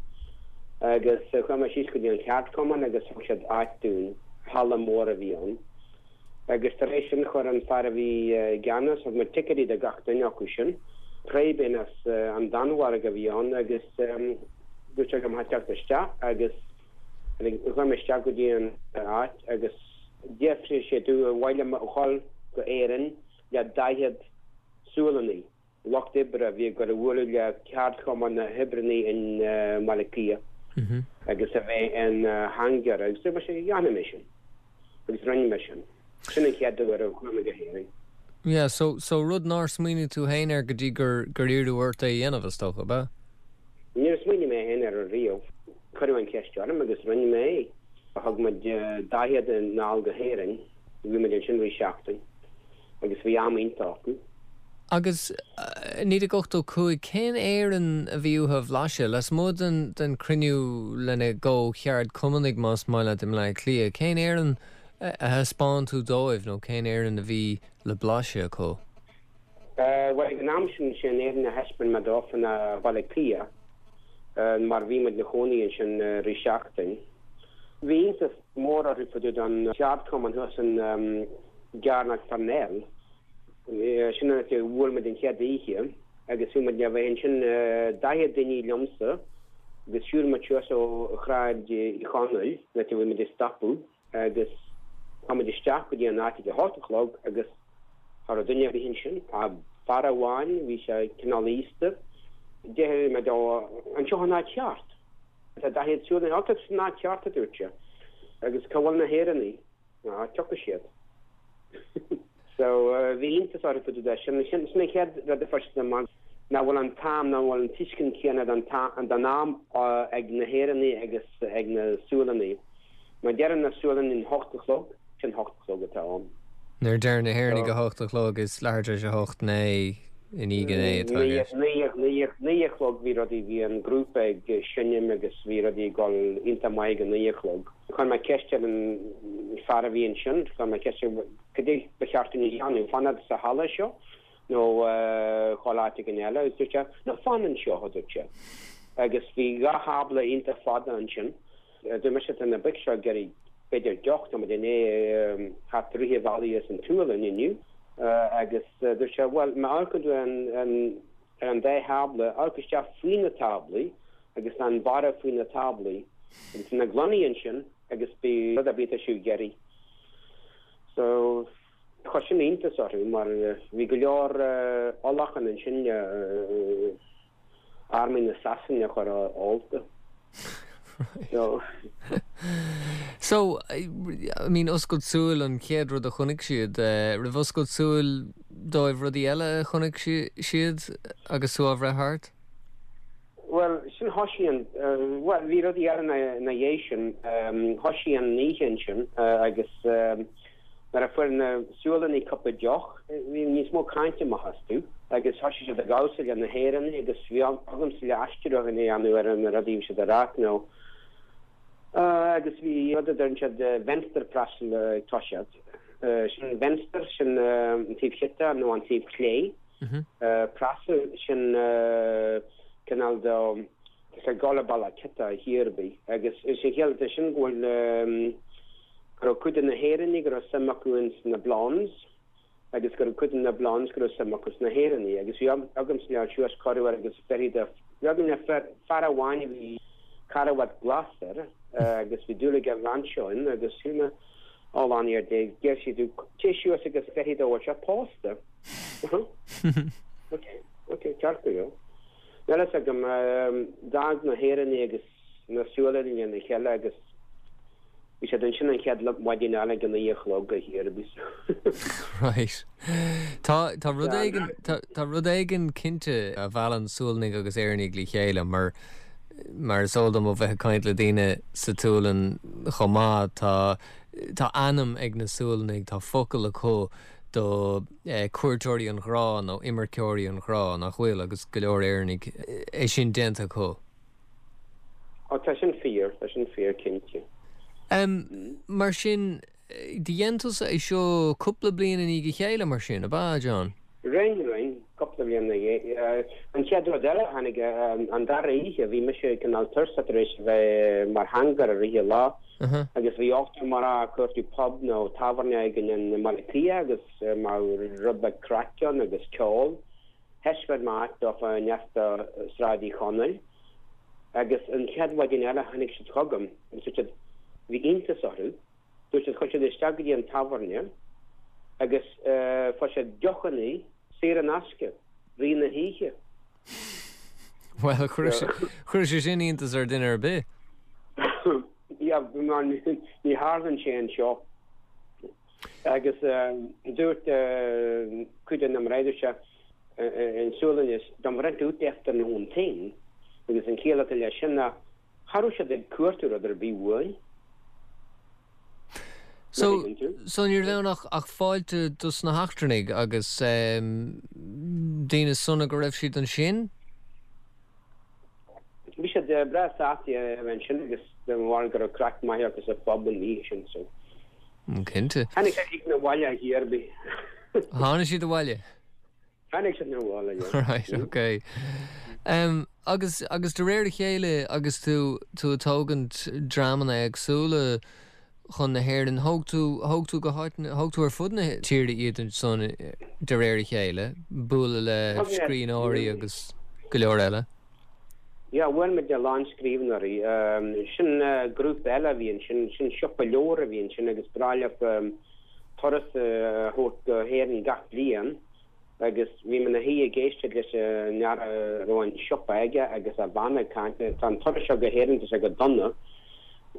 Agus chuaigh mé síos go dtí an cheardchumann agus thug siad áit dúinn, halla mór a bhí ann. Agus tar éis sin chuir an fear a bhí i gceannas, thug muid ticéidí do gach duine acu sin. Preben as an Danmhairg a bhí ann agus dúirt sé go mbeadh teacht isteach agus chuaigh mé isteach go dtí an áit agus d'fhiafraigh sé domh ar mhaith liom a dhul go Éirinn le 40 Sualannaigh, lucht oibre a bhí ag dul a bhualadh le ceardchumann na hoibreannaí in mBaile Átha Cliath agus a bheith ina theangaire agus dúirt mise dhéanfaidh mé sin agus rinne mé sin. Sin an chéad uair a chuaigh mé go hÉirinn. Yeah, so, so rud nár smaoinigh tú féin air go dtí gur, gur iarradh ort é a dhéanamh, is dócha, ab ea? Níor smaoinigh mé féin air riamh. Cuireadh an cheist orm agus rinne mé é. Thug muid 40 anall go hÉirinn. Bhí muid ansin rith seachtain agus bhí am iontach acu. Agus 1985, cén Éirinn a bhí uathu a bhlaiseadh? Lasmuigh den den cruinniú lena gcomh-cheardchumannaigh, más maith leat, i mBleá Cliath, cén Éirinn a thaispeáin tú dóibh nó cén Éirinn a bhí le blaiseadh acu? Bhuel, ag an am sin, sé an Éirinn a thaispeáin mé dófa ná Baile Átha Cliath, mar bhí muid 'na chónaí ansin rith seachtain. Bhí iontas mór orthu fá dtaobh den cheardchumann thuas in gCearnóg Pharnell. Sin an áit a bhuail muid an chéad oíche agus bhí muid le bheith ansin, 40 duine liomsa, agus shiúil muid suas ó Shráid Uí Chonaill, an áit a bhí muid ag stopadh. agus chuaigh muid isteach go dtí an áit ag a hocht a chlog agus cha raibh duine ar bith ansin ach fear amháin, bhí sé cineál aosta. D'fhiafraigh mé dó, an seo an áit cheart? Tá 40 Sualannach, á tá san áit cheart a dúirt sé. Agus cá bhfuil na hÉireannaigh? Á, tiocfaidh siad. So, bhí iontas orthu fá dtaobh de sin. Sin an chéad rud a fuair siad amach, nach bhfuil an t-am, nach bhfuil an tuiscint chéanna den am ag na hÉireannaigh agus ag na Sualannaigh. Má deireann na Sualannaigh an hocht a chlog, sin hocht a chlog atá ann. Nuair a deireann na hÉireannaigh a hocht a chlog, is leathuair tar éis a hocht, naoi i ndiaidh a naoi atá i gceist. Naoi a chlog bhí rudaí, bhí an grúpa ag seinm agus bhí rudaí ag dul iontach maith ag a naoi a chlog. Chuir mé ceist ar an fear a bhí ansin, chuir mé ceist air cad é ba cheart dúinn a dhéanamh, fanacht sa halla seo nó dhul áit éigin eile agus dúirt sé, no, fan anseo, a dúirt sé. Agus bhí dhá thábla iontach fada ansin. Dúirt mise, tá na boic seo ag iarraidh b'fhéidir deoch, tá muid i ndiaidh theacht rith an bhealaigh as an tSualainn inniu. Agus dúirt sé, bhuel, má amharcann tú ar an dá thábla, amharc isteach faoi na táblaí agus tá an barra faoi na táblaí agus tá na gloiní ansin agus beidh rud ar bith atá sibh ag iarraidh. So, chuir sin iontas orthu mar bhí go leor ólacháin ansin le army na Sasana a chur ólta. So. So, I mean, oscailt súil an chéad rud a chonaic siad. Raibh oscailt súil dóibh rudaí eile a chonaic siad agus tú á bhreith thart? Bhuel, sin thoisigh an, bhuel, bhí rudaí eile ina dhiaidh sin. Thoisigh an oíche ansin agus nuair a fuair na Sualannaigh cúpla deoch, bhí níos mó cainte amach astu agus thoisigh siad ag damhsa le na hÉireannaigh agus bhí agamsa le aistriúchán a dhéanamh ar na rudaí a bhí siad a rá nó agus bhí rud a deireann siad vänsterprassel ag toiseacht. Sin vänster, sin an taobh chiota nó an taobh chlé. Prassel, sin cineál de is ag dul ar bealach ciota thiar ar bith agus is an chiall atá sin go bhfuil go raibh cuid de na hÉireannaigh go raibh suim acu ins na Blondes agus go raibh cuid de na Blondes go raibh suim acu sna hÉireannaigh agus bhí agamsa le suas corruair agus beirí de bhí agam le fear amháin a bhí carbhat glas air agus bhí dúil aige bhean seo in agus shíl mé Ó lean ar dé, deir siad téigh suas agus feicfidh tú an bhfuil sé pósta. Ok, ok, ceart go leor. Níl fhios agam, d'fhág na hÉireannaigh agus na Sualannaigh lena chéile agus bhí siad ansin an chéad mhaidin eile ag a naoi a chlog a thiar a bhí Right. Tá, tá rud éigin, tá, tá rud éigin cinnte a mheallann Sualannaigh agus Éireannaigh le chéile mar, Mar is eol dom ó bheith ag caint le daoine sa tSualainn chomh maith, tá tá ainm ag na Sualannaigh, tá focal acu do cuairteoirí an ghrá nó imirceoirí an ghrá, nach bhfuil, agus go leor Éireannaigh é sin déanta acu. Ó tá sin fíor, tá sin fíor cinnte. Mar sin, do dhein tusa é seo cúpla bliain i ndiaidh a chéile mar sin, ab ea, John? Rinn, rinn, cúpla bliain ina dhiaidh. An chéad rud eile a tháinig, an dara oíche, bhí mise cineál tuirseach tar éis a bheith mar theangaire i rith an lá agus bhí ochtar mná ag cuartú pub nó tábhairne éigin i mBaile Átha Cliath agus mbeadh rud beag craic ann agus ceol. Thaispeáin mé áit dófa i ndeas do Sráid Uí Chonaill agus an chéad mhaidin eile tháinig siad chugam agus dúirt siad, bhí iontas orthu, Dúirt siad, chuaigh siad isteach go dtí an tábhairne agus fuair siad deochannaí saor in aisce rith na hoíche. Bhuel, chuirfeadh sé sin iontas ar duine ar bith. Yeah, mar ní tharlaíonn sé anseo. Agus dúirt cuid de na mná, dúirt sé, in Sualainnis, De rent ut efter någonting. Agus an chiall atá leis sin ná Cha raibh siad ag cuartú rud ar bith uainn. So, so ní raibh ann ach, ach fáilte dos na heachtrannaigh agus daoine sona go raibh siad ansin? Bhí siad breá sásta a bheith ansin agus de bharr go raibh craic maith acu sa phub an oíche sin so. Cinnte. Tháinig siad 'na bhaile ar chor ar bith. Tháinig siad abhaile? Tháinig siad 'na bhaile, yeah. Right, ok. Um, agus, agus de réir a chéile agus tú, tú ag tógaint dreamanna éagsúla chun na hÉireann, thóg tú, thóg tú go háiteanna, thóg tú ar fud na tíre iad ansan de réir a chéile, bualadh le scríbhneoirí agus go leor eile. Yeah, bhuail muid le a lán scríbhneoirí. Sin grúpa eile a bhí ansin, sin siopa leabhar a bhí ansin agus ba bhreá leo turas a thabhairt go hÉirinn gach bliain agus bhí mé 'na shuí ag éisteacht leis an fhear a raibh an siopa aige agus a bhean ag caint, tá an turas seo go hÉirinn, tá sé go dona,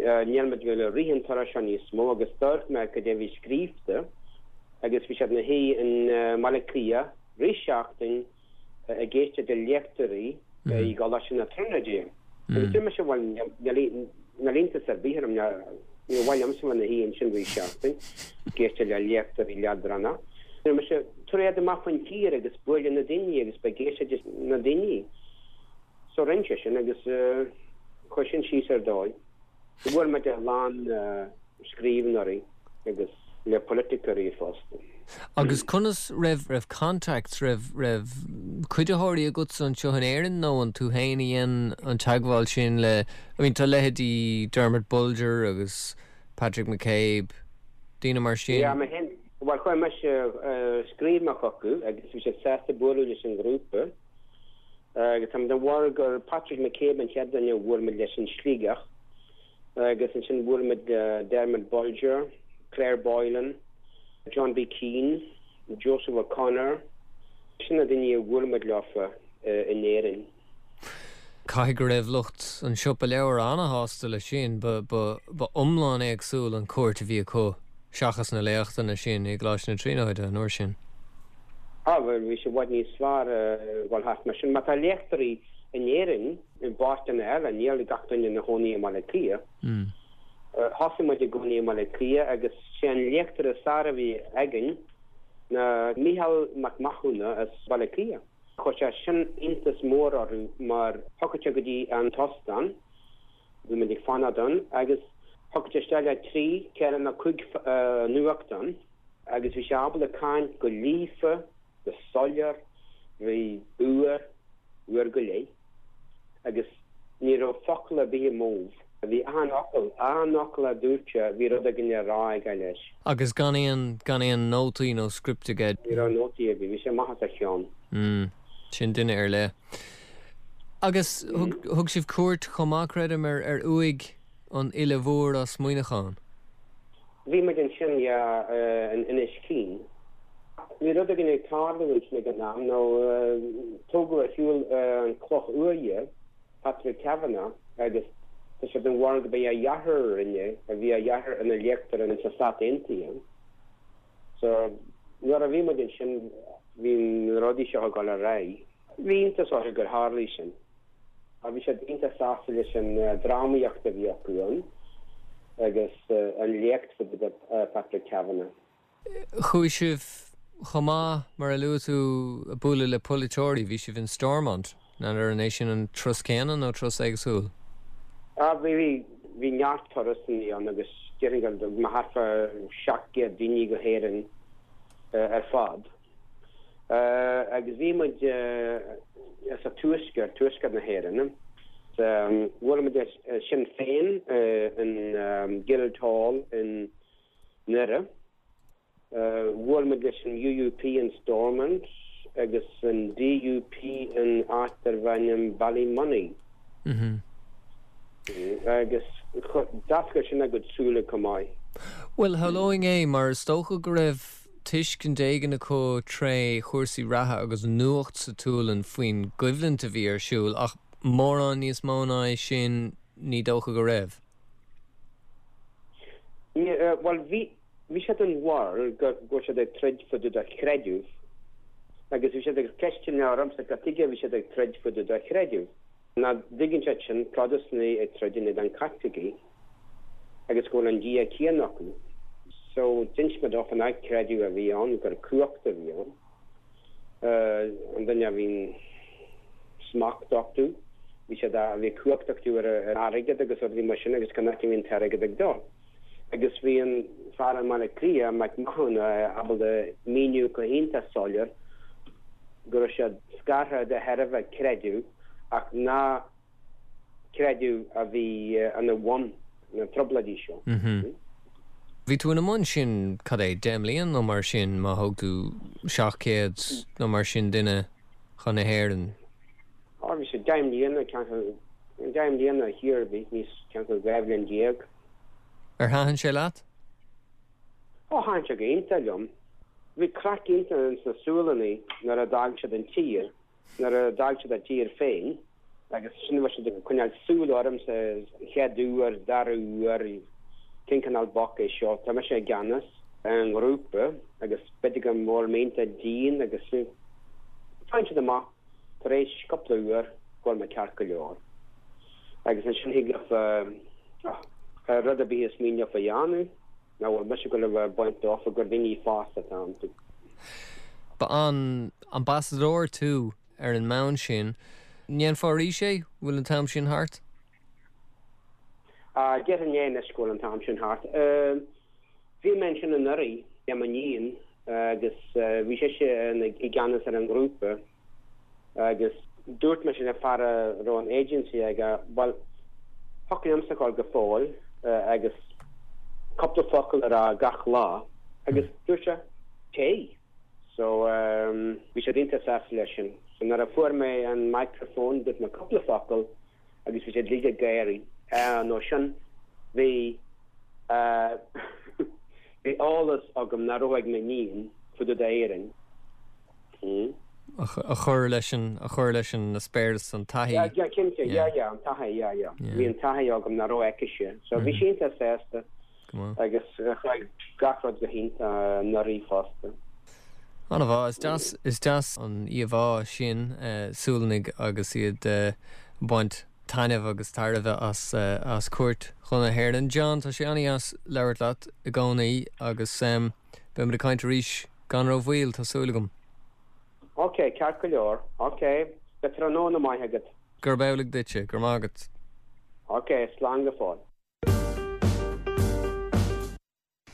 níl muid ag goil a rith an turas seo níos mó agus d'amharc mé cad é a bhí scríobhta agus bhí siad 'na shuí i mBaile Átha Cliath rith seachtain ag éisteacht le léachtóirí i gColáiste na Tríonóide. Agus dúirt mise, bhuel, níl iontas ar bith orm, níor mhaith liomsa bheith 'na shuí ansin rith seachtain ag éisteacht le léachtóirí leadránacha. Dúirt mise, tabhair iad amach faoin tír agus buail le na daoine agus beidh ag éisteacht leis na daoine. So rinne sé sin agus chuir sin síos ar dóigh. Bhuail muid a lán scríbhneoirí agus le polaiticeoirí fosta. Agus conas, raibh, raibh contacts, raibh, raibh cuiditheoirí agatsa anseo in Éirinn nó an tú féin a dhein an teagmháil sin le, I mean tá leithéidí Dermot Bolger agus Patrick McCabe, daoine mar sin? Yeah, mé féin, bhuel chuir mise, scríobh mé chucu agus bhí siad sásta bualadh leis an ghrúpa. Agus tá mé den bharúil gur Patrick McCabe an chéad duine a bhuail muid leis in Sligeach agus ansin bhuail muid le Dermot Bolger, Claire Boylan, John B Keane, Joseph O'Connor, sin na daoine a bhuail muid leofa in Éirinn. Caithfidh go raibh lucht an siopa leabhar ana-shásta leis sin, ba iomlán éagsúil an cuairt a bhí acu seachas na léachtanna sin i gColáiste na Tríonóide an uair sin. Á, bhuel, bhí sé i bhfad níos fearr a dhul thart mar sin. Má tá léachtóirí in Éirinn, i bpáirteanna eile, níl gach duine ina chónaí i mBaile Átha Cliath. Thosaigh muid i gcónaí i mBaile Átha Cliath agus sé an léachtóir is fearr a bhí againn ná Mícheál Mac Mathúna as Baile Átha Cliath. Chuir sé sin iontas mór orthu mar thiocfadh sé go dtí an t-óstán, bhí muid ag fanacht ann, agus thiocfadh sé isteach le trí, ceithre nó cúig nuachtán. Agus bhí sé ábalta caint go líofa, go soiléir, bhí uair, uair go leith, agus ní raibh focal ar bith amú. Bhí achan fhocal, achan fhocal a dúirt sé, bhí rud éigin le rá aige leis. Agus gan aon, gan aon nótaí nó script aige. Ní raibh nótaí ar bith, bhí sé amach as a cheann. Mm, sin duine ar leith. Agus thug, thug sibh cuairt chomh maith, creidim, ar, ar uaigh an fhile mhóir as Muineachán. Bhí muid ansin, yeah, in Inis Caoin. Bhí rud éigin ag tarlú ansin ag an am, nó tógadh ar shiúl an cloch uaighe, Patrick Kavanagh, agus tá siad den bharúil gurb é a dheartháir a rinne, a bhí a dheartháir ina léachtóir in sna Stáit Aontaithe. So, nuair a bhí muid ansin, bhí na rudaí seo ag dul ar aghaidh. Bhí iontas orthu gur tharlaigh sin. Bhí siad iontach sásta leis an drámaíocht a bhí acu ann agus an léacht faoi Patrick Kavanagh. Chuaigh sibh chomh maith, mar a luaigh tú, ag bualadh le polaiteoirí. Bhí sibh in Stormont. N'fheadar an é sin an turas céanna nó turas éagsúil? Ah bhí, bhí, bhí neart turasanna ann agus déarfainn go raibh thart fá 700 daoine go hÉirinn ar fad. Agus bhí muid sa tuaisceart, tuaisceart na hÉireann. Bhuail muid le Sinn Féin in Guildhall i nDoire. Bhuail muid leis an UUP in Stormont agus an DUP in áit darbh ainm Ballymoney. Agus d'oscail sin a gcuid súile chomh maith. Bhuel, shamhlóinn é, mar is dócha go raibh tuiscint éigin acu tré chúrsaí reatha agus nuacht sa tSualainn faoin gcoimhlint a bhí ar siúl, ach mórán níos mó ná é sin ní dócha go raibh. Bhuel, bhí. Bhí siad den bharúil go raibh siad ag troid fá dtaobh de chreideamh agus bhí siad ag ceisteanna ormsa cad tuige a bhí siad ag troid fá dtaobh de chreideamh. Nach dtuigeann siad sin, Protastúnaigh ag troid in éadan Caitlicigh agus go bhfuil an Dia céanna acu. So d'inis mé dófa nach creideamh a bhí ann, gur cumhacht a bhí ann. An duine a bhí smacht acu, bhí siad, bhí cumhacht acu ar an airgead agus rudaí mar sin agus cá háit a bhí an t-airgead ag dul. Agus bhí an fear i mBaile Átha Cliath, Mac Mathúna, ábalta míniú go hiontach soiléir go raibh siad scartha de thairbhe creideamh ach nach creideamh a bhí ina bhun na trioblóidí seo. Bhí tú ina mbun sin, cad é, 10 mbliana nó mar sin, má thóg tú 700 nó mar sin duine chun na hÉireann? Á, bhí sé 10 mbliana, 10 mbliana thiar, bhí níos, ceantar 12 bhliain. Ar thaitin sé leat? Ó, thaitin sé go iontach liom. Bhí craic iontach ins na Sualannaigh nuair a d'fhág siad an tír, nuair a d'fhág siad a dtír féin agus sin bhí siad ag coinneáil súil ormsa chéad uair, dara huair, cén cineál boc é seo, tá mise i gceannas ar an ngrúpa agus b'fhéidir go bhfuil mé iontach dian agus faigheann siad amach Tar éis cúpla uair go bhfuil mé ceart go leor. Agus ansin thig leofa rud ar bith is mian leofa a dhéanamh, nach bhfuil mise ag dul a bheith ag baint dófa gur daoine fásta atá iontu. Ba an ambasadóir tú ar an mbonn sin. Ndéanfá arís é? Bhfuil an t-am sin thart? Déarfainn é anois go bhfuil an t-am sin thart. Bhí mé ansin anuraidh le m'iníon agus bhí sise i gceannas ar an ngrúpa agus dúirt mise le fear a raibh an agency aige, bhuel, thiocfadh liomsa a dhul go fóill agus cúpla focal a rá gach lá agus dúirt sé, téigh! So bhí siad iontach sásta leis sin. So nuair a fuair mé an microphone dúirt mé cúpla focal agus bhí siad uilig ag gáirí. Nó sin, bhí, bhí eolas agam nach raibh ag m'iníon fá dtaobh d'Éirinn. A chur leis an, a chur leis an eispéireas, an taithí. Yeah, yeah, cinnte, yeah, yeah, an taithí, yeah, yeah. Bhí an taithí agam nach raibh aicise. So bhí sí iontach sásta agus chuaigh gach rud go hiontach anuraidh fosta. An-mhaith. Is deas, is deas an íomhá sin, Sualannaigh agus iad ag baint taitneamh agus tairbhe as, as cuairt chun na hÉireann. John, tá sé an-dheas labhairt leat i gcónaí agus beimid ag caint arís gan rómhoill, tá súil agam. Ok, ceart go leor. Ok, beidh tráthnóna maith agat. Gurb amhlaidh duitse. Go raibh maith agat. Ok, slán go fóill.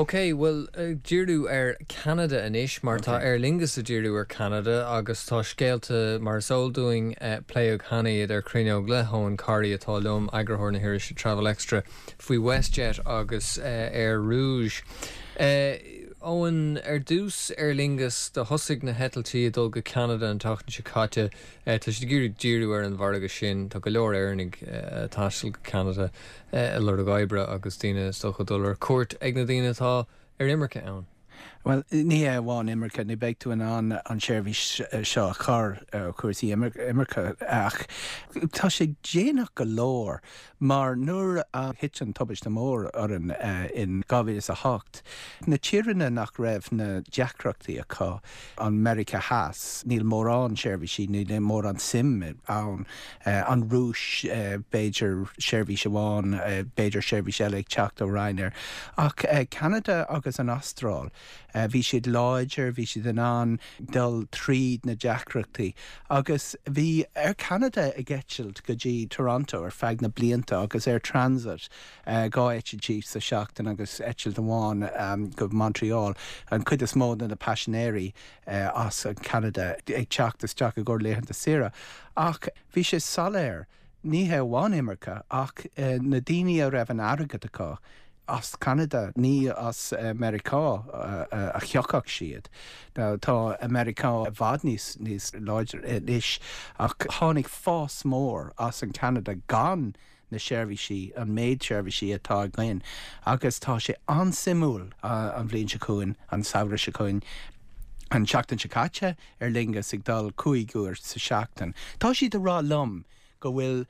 Ok, bhuel, ag díriú ar Ceanada anois, mar tá Aer Lingus ag díriú ar Ceanada agus tá scéalta, mar is eol dúinn, pléadh cheana iad ar Cruinneog le hEoin Corry atá liom, eagarthóir na hirise Travel Extra, faoi WestJet agus Air Rouge. Eoin, ar dtús, Aer Lingus, do thosaigh na heitiltí ag dul go Ceanada an tseachtain seo caite, tá siad ag iarraidh díriú ar an mhargadh sin, tá go leor Éireannaigh ag taisteal go Ceanada. ag lorg oibre agus daoine is dócha ag dul ar cuairt ag na daoine atá ar imirce ann. Bhuel, ní hé amháin imirce, ní bheidh tú in ann an tseirbhís seo a chur ar chúrsaí imirce ach tá sé déanach go leor mar nuair a thit an tubaiste mór orainn in 2008, na tíreanna nach raibh na deacrachtaí acu, an Meiriceá Theas, níl mórán seirbhísí, níl mórán suim ann. An Rúis, b'fhéidir seirbhís amháin, b'fhéidir seirbhís eile ag teacht ó Ryanair. Ach Ceanada agus an Astráil. Bhí siad láidir, bhí siad in ann dul tríd na deacrachtaí agus bhí Air Canada ag eitilt go dtí Toronto ar feadh na blianta agus Air Transat, 2 eitiltí sa seachtain agus eitilt amháin go Montreal, an chuid is mó de na paisinéirí as Ceanada ag teacht isteach i gcomhair laethanta saoire. Ach bhí sé soiléir, ní hé amháin imirce ach na daoine a raibh an airgead acu, as Ceanada, ní as Meiriceá a thiocfadh siad. Now tá Meiriceá i bhfad níos níos láidre anois ach tháinig fás mór as an Ceanada gan na seirbhísí, an méid seirbhísí atá againn agus tá sé an-suimiúil an bhliain seo chugainn, an samhradh seo chugainn, an tseachtain seo caite, Aer Lingus ag dul 5 uair sa seachtain. Tá siad ag rá liom go bhfuil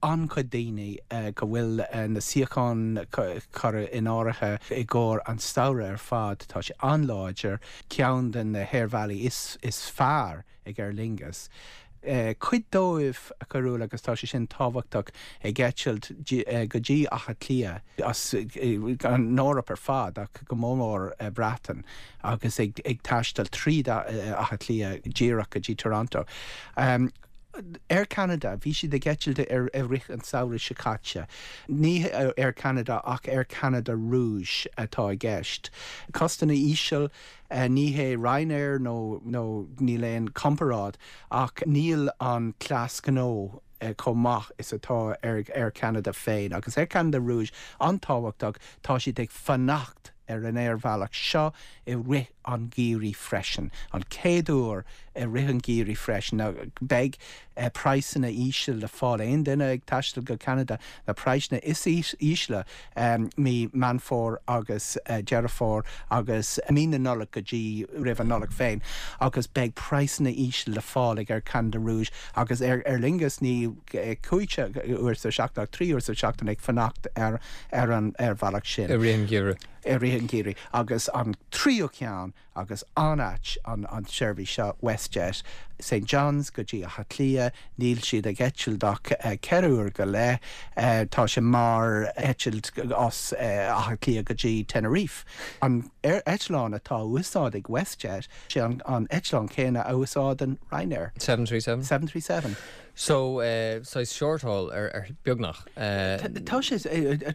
an-chuid daoine, go bhfuil na suíocháin curtha in áirithe i gcomhair an samhradh ar fad. Tá sé an-láidir, ceann de na haerbhealaí is fearr ag Aer Lingus. Cuid dóibh, a Chearúil, agus tá sé sin tábhachtach, ag eitilt go dtí Áth Cliath as an Eoraip ar fad ach go mór mór Breatain agus ag taisteal tríd Áth Cliath díreach go dtí Toronto. Air Canada, bhí siad ag eitilt i rith an samhradh seo caite. Ní Air Canada ach Air Canada Rouge atá i gceist. Costanna íseal, ní hé Ryanair nó nó níl aon comparáid ach níl an cleas gnó chomh maith is atá ar Air Canada féin. Agus Air Canada Rouge an-tábhachtach, tá siad ag fanacht ar an aerbhealach seo i rith an gheimhridh freisin. An chéad uair i rith an gheimhridh freisin. Now beidh praghsanna íseal le fáil. Aon duine ag taisteal go Ceanada, na praghsanna is ísle mí Meán Fómhair agus Deireadh Fómhair agus mí na Nollag go dtí roimh an Nollaig féin agus beidh praghsanna íseal le fáil ag Air Canada Rouge agus Air Lingus ní 5 uair sa seachtain ach 3 uair sa seachtain ag fanacht ar an aerbhealach sin. I rith an gheimhridh. I rith an gheimhridh. Agus an tríú ceann agus an-ait an tseirbhís seo, WestJet, St John's go dtí Áth Cliath, níl siad ag eitilt ach 4 uair go leith, tá sé mar eitilt as Áth Cliath go dtí Tenerife. An eitleán atá á úsáid ag WestJet, sé an eitleán céanna a úsáideann Ryanair. 737? 737. So, saghas short-haul ar beagnach. Tá sé,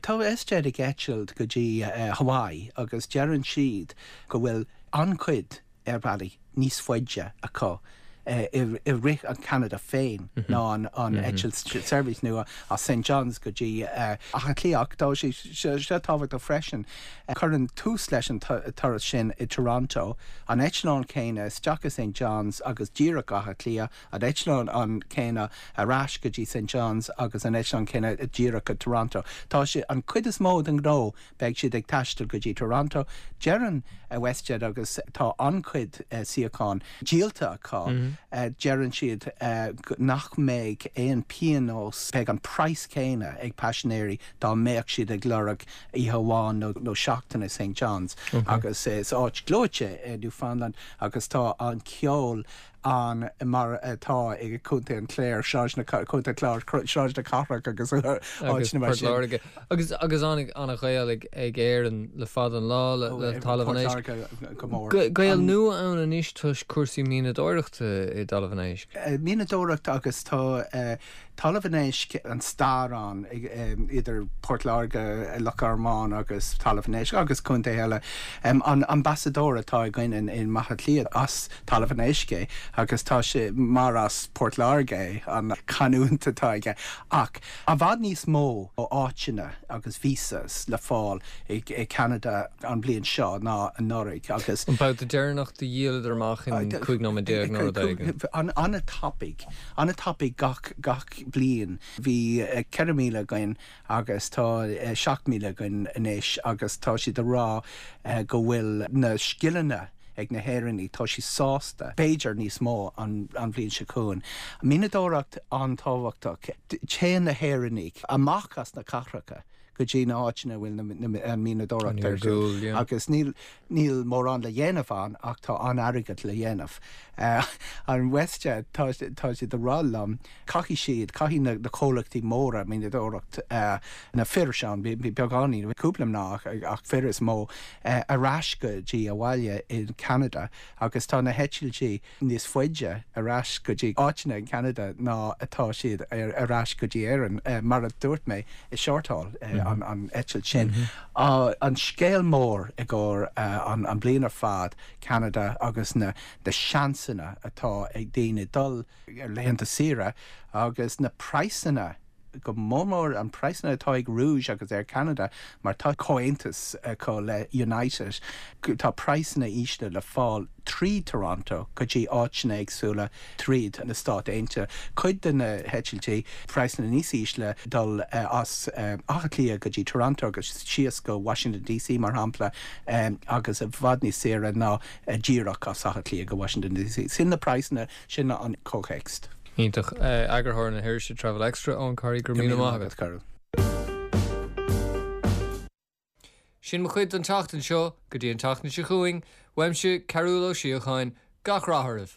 tá WestJet ag eitilt go dtí Hawaii agus deireann siad go bhfuil an-chuid aerbhealaí níos faide acu i rith an Cheanada féin ná an eitilt seirbhís nua as St John's go dtí Áth Cliath. Ach tá sé seo tábhachtach freisin, cuireann tús leis an turas sin i Toronto, an eitleán céanna isteach i St John's agus díreach go Áth Cliath, an eitleán an céanna ar ais go dtí St John's agus an eitleán céanna díreach go Toronto. Tá sé an chuid is mó den ghnó beidh siad ag taisteal go dtí Toronto. Deireann WestJet agus tá an-chuid suíochán díolta acu, deireann siad nach mbeidh aon pionós, beidh an praghas céanna ag paisinéirí dá mbeadh siad ag lorg oíche amháin nó seachtain i St John's. Agus is áit ghleoite é Newfoundland agus tá an ceol ann mar atá i gContae an Chláir, Sráid na, Contae an Chláir, Sráid na Cathrach agus áiteanna mar sin. Port Láirge. Agus agus an-ghaol ag ag Éirinn le fada an lá le le Talamh an Éisc. Port Láirge go mór. Gaol nua ann anois toisc cúrsaí mianadóireachta i dTalamh an Éisc. Mianadóireacht agus tá Talamh an Éisc, an stair ann idir Port Láirge, Loch Garman agus Talamh an Éisc agus contaetha eile. An ambasadóir atá againn i mBaile Átha Cliath as Talamh an Éisc é agus tá sé mar as Port Láirge é an canúint atá aige. Ach i bhfad níos mó áiteanna agus visas le fáil i gCeanada an bhliain seo ná anuraidh agus. An babhta deireanach do dhíoladar amach in 15 nóiméad nó rud éigin. An-tapaidh. An-tapaidh gach gach bliain. Bhí 4,000 againn agus tá 7,000 againn anois agus tá siad ag rá go bhfuil na scileanna ag na hÉireannaigh, tá siad sásta, b'fhéidir níos mó an bhliain seo chugainn. Mianadóireacht an-tábhachtach. Téann na hÉireannaigh amach as na cathracha. go dtí na háiteanna a bhfuil an mianadóireacht ar siúl agus níl níl mórán le dhéanamh ann ach tá an-airgead le dhéanamh. An WestJet, tá tá siad ag rá liom, caithfidh siad, caithfidh na na comhlachtaí móra mianadóireacht, na fir ann, beagáinín, cúpla mná ach fir is mó, ar ais go dtí abhaile in Ceanada agus tá na heitiltí níos faide ar ais go dtí áiteanna in Ceanada ná atá siad ar ais go dtí Éirinn. Mar a dúirt mé, is shortáil an eitilt sin. An scéal mór i gcomhair an bliain ar fad, Ceanada agus na seansanna atá ag daoine dul ar laethanta saoire agus na praghsanna, go mór mór an praghsanna atá ag Rouge agus Air Canada mar tá comhaontas acu le United, tá praghsanna ísle le fáil trí Toronto go dtí áiteanna éagsúla tríd na Stáit Aontaithe. Cuid de na heitiltí, praghsanna níos ísle dul as Áth Cliath go dtí Toronto agus síos go Washington DC mar shampla agus i bhfad níos saoire ná díreach as Áth Cliath go Washington DC. Sin na praghsanna, sin an comhthéacs. Iontach. Eagarthóir na hirise Travel Extra, Eoin Corry, go raibh míle maith agat. Carol. Sin mo chuid don tseachtain seo, go dtí an tseachtain seo chugainn, uaimse, Cearúll Ó Síocháin, gach rath oraibh!